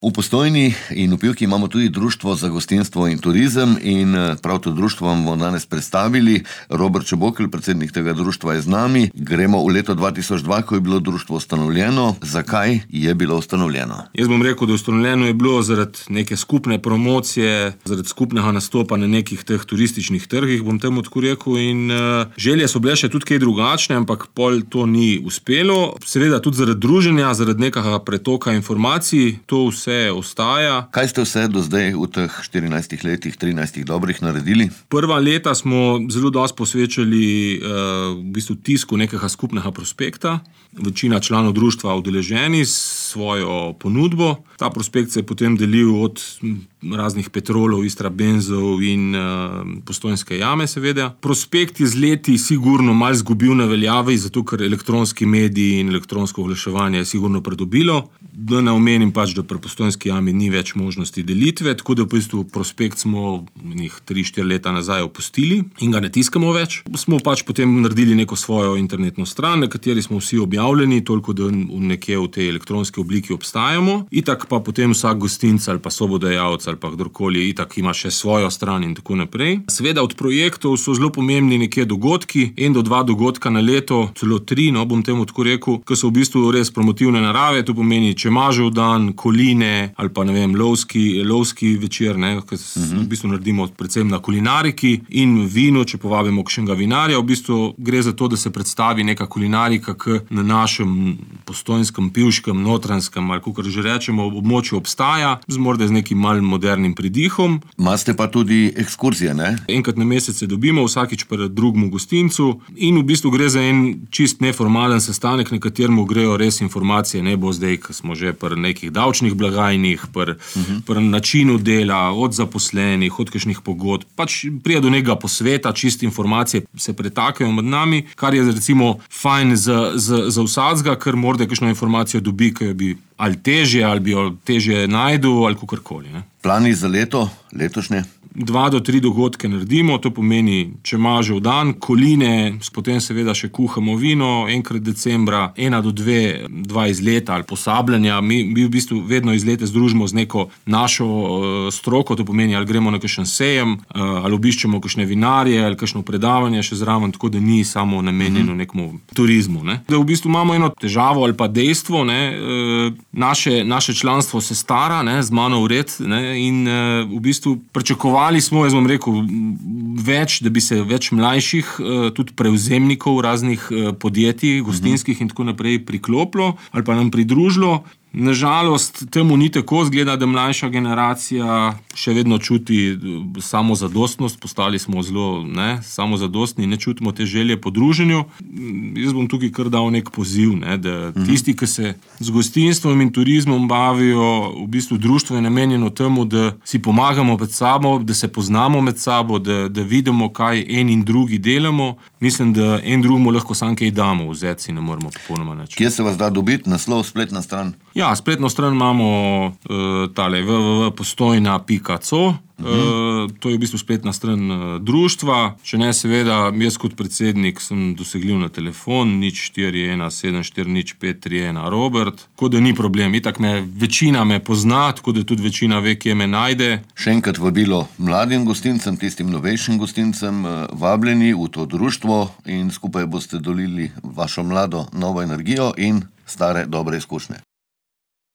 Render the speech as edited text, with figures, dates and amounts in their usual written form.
V Postojni in v Pivki imamo tudi Društvo za gostinstvo in turizem in prav to društvo vam bomo danes predstavili. Robert Čebokl, predsednik tega društva, je z nami. Gremo v leto 2002, ko je bilo društvo ustanovljeno. Zakaj je bilo ustanovljeno? Jaz bom rekel, da ustanovljeno je bilo zaradi neke skupne promocije, zaradi skupnega nastopa na nekih teh turističnih trgih, bom temu tako rekel, in želje so bile še tudi kaj drugačne, ampak pol to ni uspelo. Seveda tudi zaradi druženja, zaradi nekega pretoka informacij, to vse ostaja. Kaj ste vse do zdaj v teh 14 letih, 13 dobrih naredili? Prva leta smo zelo dosti posvečali v bistvu tisku nekega skupnega prospekta. Večina članov društva udeleženi s svojo ponudbo. Ta prospekt se je potem delil od raznih Petrolov, Istrabenzov in Postojnske jame, seveda. Prospekt je z leti sigurno malo izgubil na veljavi, zato ker elektronski mediji in elektronsko oglaševanje je sigurno pridobilo. Da ne omenim pač, da pri Postojnski jami ni več možnosti delitve, tako da v bistvu prospekt smo 3-4 leta nazaj opustili in ga ne tiskamo več. Smo pač potem naredili neko svojo internetno stran, na kateri smo vsi objavljeni, toliko da nekje v tej elektronski obliki obstajamo. Itak pa potem vsak gostinc ali pa sobodajalec ali pa kdorkoli itak ima še svojo stran in tako naprej. Seveda od projektov so zelo pomembni nekje dogodki, 1 do 2 dogodka na leto, celo 3, bom temu tako rekel, ki so v bistvu res promotivne narave, to pomeni Čemažev dan, Koline ali pa ne vem, lovski večer, ki v bistvu naredimo predvsem na kulinariki in vinu, če povabimo kakšnega vinarja. V bistvu gre za to, da se predstavi neka kulinarika, ki na našem postojnskem, pivškem, notranjskem ali kakor že rečemo, območju obstaja, morda z nekim malым modernim pridihom. Imate pa tudi ekskurzije, ne? Enkrat na mesec se dobimo, vsakič pri drugemu gostincu in v bistvu gre za en čist neformalen sestanek, na katerem grejo res informacije, ne bo zdaj, ko smo že pri nekih davčnih blagajnih, pri načinu dela, od zaposlenih, od kakšnih pogodb. Pač pride do nekega posveta, čist informacije se pretakajo med nami, kar je recimo fajn za vsakega, ker morda kakšno informacijo dobi, ki jo bi ali težje, ali bi jo težje najdu, ali kakorkoli. Plani za letošnje? 2 do 3 dogodke naredimo, to pomeni Čemažev dan, Koline, potem seveda še kuhamo vino, enkrat decembra, 1 do 2 izleta ali posabljanja. Mi v bistvu vedno izlete združimo z neko našo stroko, to pomeni, ali gremo na kakšen sejem, ali obiščemo kakšne vinarje, ali kakšno predavanje še zraven, tako da ni samo namenjeno nekemu turizmu. Da v bistvu imamo eno težavo ali pa dejstvo, naše članstvo se stara, z mano vred, in v bistvu pričakovali smo, jaz bom rekel, da bi se več mlajših, tudi prevzemnikov raznih podjetij, gostinskih in tako naprej priklopilo ali pa nam pridružilo. Nažalost, temu ni tako, zgleda, da mlajša generacija še vedno čuti samozadostnost, postali smo zelo samozadostni in ne čutimo te želje po druženju. Jaz bom tukaj kar dal nek poziv, da tisti, ki se z gostinstvom in turizmom bavijo, v bistvu društvo je namenjeno temu, da si pomagamo med sabo, da se poznamo med sabo, da vidimo, kaj en in drugi delamo. Mislim, da en drugemu lahko samo kaj damo, vzeti si ne moremo popolnoma nič. Kje se vas da dobiti? Naslov, spletna stran? Ja, spletno stran imamo www.postojna.co. To je v bistvu spletna stran društva. Če ne, seveda, jaz kot predsednik sem dosegljiv na telefon 0417400531 Robert. Tako da ni problem. Itak večina me pozna, tako da tudi večina ve, kje me najde. Še enkrat vabilo mladim gostincem, tistim novejšim gostincem, vabljeni v to društvo in skupaj boste dolili vašo mlado novo energijo in stare dobre izkušnje.